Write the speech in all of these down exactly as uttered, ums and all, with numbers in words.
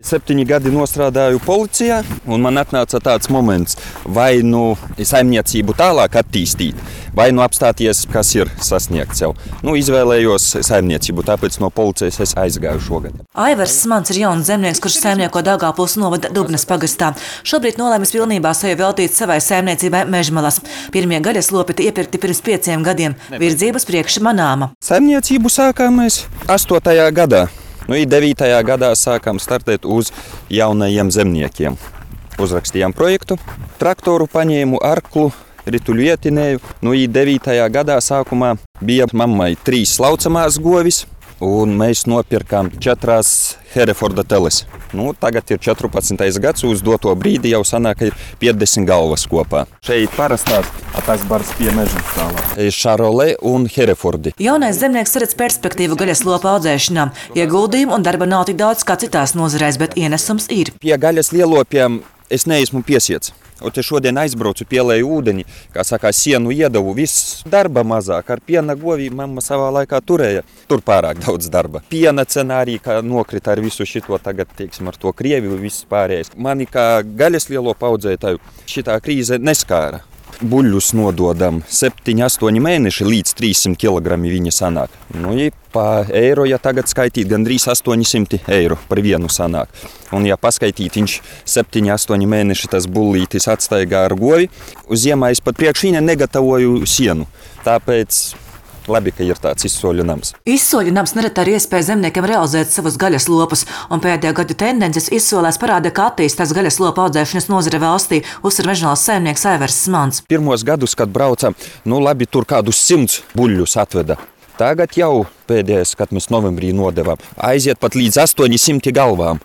Septiņi gadi nostrādāju policijā, un man atnāca tāds moments, vai nu saimniecību tālāk attīstīt, vai nu apstāties, kas ir sasniegts jau. Nu, izvēlējos saimniecību, tāpēc no policijas es aizgāju šogad. Aivars Smants ir jauns zemnieks, kurš saimnieko Daugavpils novada Dubnes pagastā. Šobrīd nolēmis pilnībā sevi veltīt savai saimniecībai Mežmalas. Pirmie gaļas lopi iepirkti pirms pieciem gadiem. Virdzības priekš manāma. Saimniecību sākām mēs astotajā gadā. Nu, devītajā gadā sākām startēt uz jaunajiem zemniekiem. Uzrakstījām projektu, traktoru paņēmu, arklu, rituļu ietinēju. Nu, devītajā gadā sākumā bija mammai trīs laucamās govis, un mēs nopirkām četras Hereforda teles. Nu, tagad ir četrpadsmitais gads, uz doto brīdi jau sanāk, ka ir piecdesmit galvas kopā. Šeit parastās tas bars pie meža tālāk. Šarolē un Herefordi. Jaunais zemnieks redz perspektīvu gaļas lopu audzēšanā. Ieguldījumu un darba nav tik daudz kā citās nozarēs, bet ienesums ir. Pie gaļas lielopiem es neesmu piesiets. Un te šodien aizbraucu, pielēju ūdeni, kā saka, sienu iedavu, viss darba mazāk. Ar piena govī mamma savā laikā turēja. Tur pārāk daudz darba. Piena cena arī, kā nokrita ar visu šito tagad, teiksim, ar to Krieviju, viss pārējais. Mani kā gaļas lielopu audzētāju šitā krīze neskāra. Buļļus nododam septiņi astoņi mēneši līdz trīssimt kilogrami viņi sanāk. Nu, ja pa eiro, ja tagad skaitīt, gandrīz astoņi simti eiro par vienu sanāk. Un ja paskaitīt, viņš septiņi astoņi mēneši tas bullītis atstaigā ar govi, uz ziemā es pat priekš viņa negatavoju sienu. Tāpēc labi, ka ir tāds izsoļu nams. Izsoļu nams nereti ir iespēja zemniekiem realizēt savus gaļas lopus, un pēdējā gadu tendences izsolēs parāda, ka attīstās gaļas lopu audzēšanas nozare valstī, uzsver Mežmalas saimnieks Aivars Smants. Pirmos gadus, kad braucam, nu labi, tur kādus simts buļļus atveda. Tagad jau pēdējais, kad mēs novembrī nodevām, aiziet pat līdz astoņi simti galvām.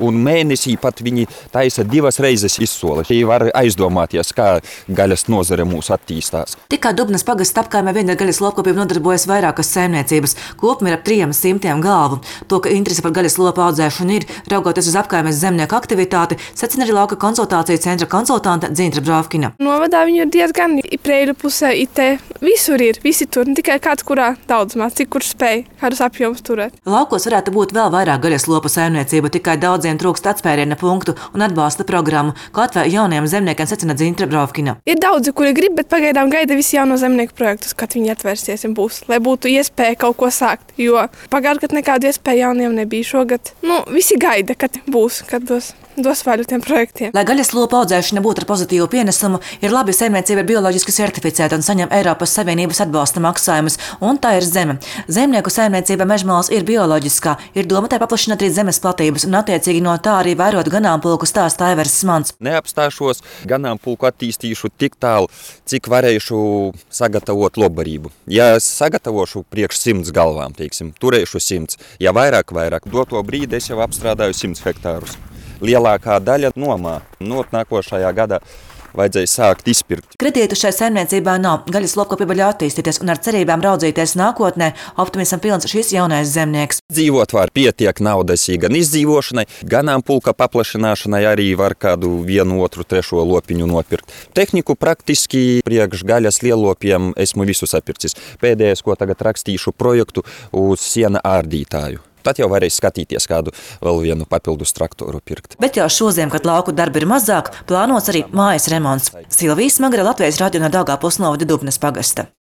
Un mēnesī pat viņi taisa divas reizes izsola. Šī var aizdomāties, kā gaļas nozare mūs attīstās. Tikai Dubnes pagasta apkaimē vien ar gaļas lopkopību nodarbojas vairākas saimniecības. Kopumā ir ap trim simtiem galvu. To, ka interese par gaļas lopu audzēšanu ir, raugoties uz apkaimes zemnieku aktivitāti, secina arī lauka konsultāciju centra konsultante Dzintra Bravkina. Novadā viņu ir diezgan Preiļu pusē, itē. Visur ir, visi tur, ne tikai kāds, kurā daudzumā, cik kurš spēj, kādus apjomus turēt. Laukos varētu būt vēl vairāk gaļas lopu saimniecību, tikai daudziem trūkst atspēriena punktu un atbalsta programmu, ko atvēl jauniem zemniekiem, secina Dzintra Bravkina. Ir daudzi, kuri grib, bet pagaidām gaida visi jauno zemnieku projektus, kad viņi atvērsies un būs, lai būtu iespēja kaut ko sākt, jo pagājušajā gadā nekādu iespēju jauniem nebija. Šogad, nu, visi gaida, kad būs, kad dos. dos vaļu tiem projektiem. Lai gaļas lopu audzēšana būtu ar pozitīvu pienesumu, ir labi saimniecība ir bioloģiski certificēta un saņem Eiropas Savienības atbalsta maksājumus, un tā ir zeme. Zemnieku saimniecība Mežmalas ir bioloģiskā, ir doma tai paplašināt arī zemes platības un attiecīgi no tā arī vairot ganāmpulku, stāsta Aivars Smants. Neapstāšos, ganāmpulku attīstīšu tik tālu, cik varēšu sagatavot lobbarību. Ja sagatavošu priekš simts galvām, teiksim, turēšu simts, ja vairāk, vairāk, doto brīdi es jau apstrādāju simts hektārus. Lielākā daļa nomā. No nākošajā gadā vajadzēja sākt izpirkt. Kredītu šai saimniecībā nav. Gaļas lopkopība ļauj attīstīties un ar cerībām raudzīties nākotnē. Optimism pilns šis jaunais zemnieks. Dzīvot var pietiek naudas gan izdzīvošanai, ganāmpulka paplašināšanai arī var kādu vienu, otru, trešo lopiņu nopirkt. Tehniku praktiski priekš gaļas lielopiem esmu visu sapircis. Pēdējais, ko tagad rakstīšu projektu uz siena ārdītāju. Tad jau varēs skatīties, kādu vēl vienu papildus traktoru pirkt. Bet jau šoziem, kad lauku darbi ir mazāk, plānots arī mājas remonts. Silvija Smagra, Latvijas radio no Daugavpils novada Dubnes pagasta.